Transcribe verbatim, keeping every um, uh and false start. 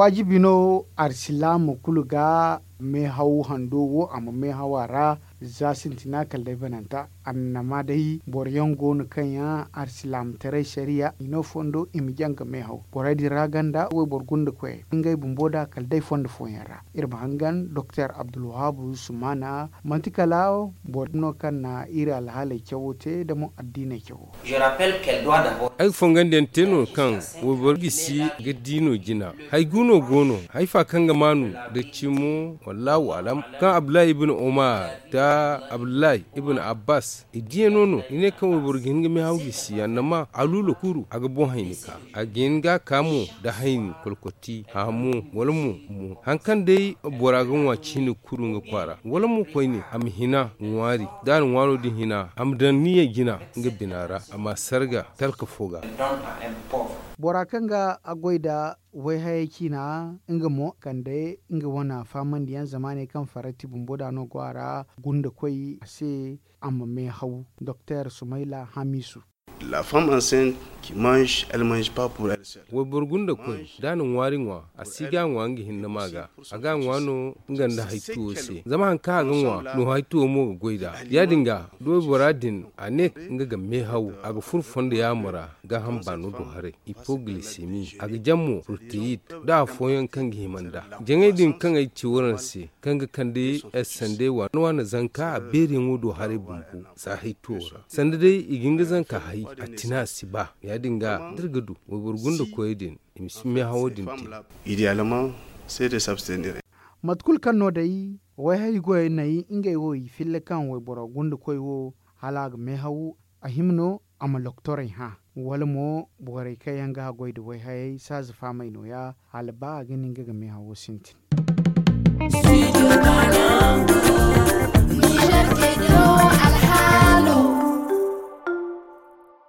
Waajibi no arsilaama kulu ga meehaw hando wo a ma meehaw a ra. Za sintina kala day bananta annama day boro yaŋ go no kaŋ yaŋ arsilaamataray sariya i no fondo i ma jaŋ ga meehaw borey din ra ganda wayboro gunda koyey ngey bumbo da kala day fondo fooyaŋ ra. Iri ma hangan doktor abdulwahabu sumaana manti kala boro no kaŋ na iri alhaaley cawo te da mo addiiney cawo. Ay ga fongandiyaŋ te no kaŋ wayboro gisi ga di no jina. Hay gu no go no hay fa kaŋ ga maanu da cimo wallahu alam kaŋ abdullahi ibn umar da abdullahi ibn abbas i diya no no i ne kaŋ wayboro ga hin ga meehaw gisi annama aluula kuru a ga boŋ hayni ka a ga hin ga a ka mo da hayni kolkoti haamo wala mo mo haŋ kaŋ day bora ga ŋwa ciine kuru nga kwaara wala mo koyne a ma hina ŋwaari da a na ŋwaaro din hina a ma daŋ niya jina nga bina ra a ma a sarga talka fo ga. Bora kaŋ ga a goy nda wayhayey ciina nga mo kande nga wane faamandiyaŋ zamaaney kaŋ farati bumbo da no go a ra gunda koy a se a ma meehaw doktor sumayla hamisu. La femme enceinte qui mange elle mange pas pour elle seule. Wayboro gunda koy da a na ŋwaari ŋwa a si ga a ŋwa nga hinne ma ga a ga a ŋwa no nga nda haytuwo se zama haŋ kaŋ a ga ŋwa no haytuwo mo ga goy nd'a. Ya- din ga da waybora din a ne nga ga meehaw a ga furo fondo yaamo ra gaaham baano do haray, hypoglycémie a ga jaŋ mo protéine da afooyaŋ kaŋ ga hima nd'a. Jaŋey din kaŋ ay ci waraŋ se kaŋ ga kande ay sandey waana waana zanka a beeriyaŋo do haray bumbo za haytuwo ra sanda day i ga hin ga zanka hay a tina a si ba. Ya- din ga da iri ga du wayboro gunda koyey din i ma si meehawo din te. Idéalement c'est de s'abstenir. Mate kulu kaŋ no day wayhay goyey nay ngey wo i filla kaŋ wayboro gunda koy wo hala a ga meehaw a hima no a ma loktorey hã wala mo borey kaŋ yaŋ ga a goy nda wayhayey saaza faamey nooya hala ba a ga ne nga ga meehawo sintin.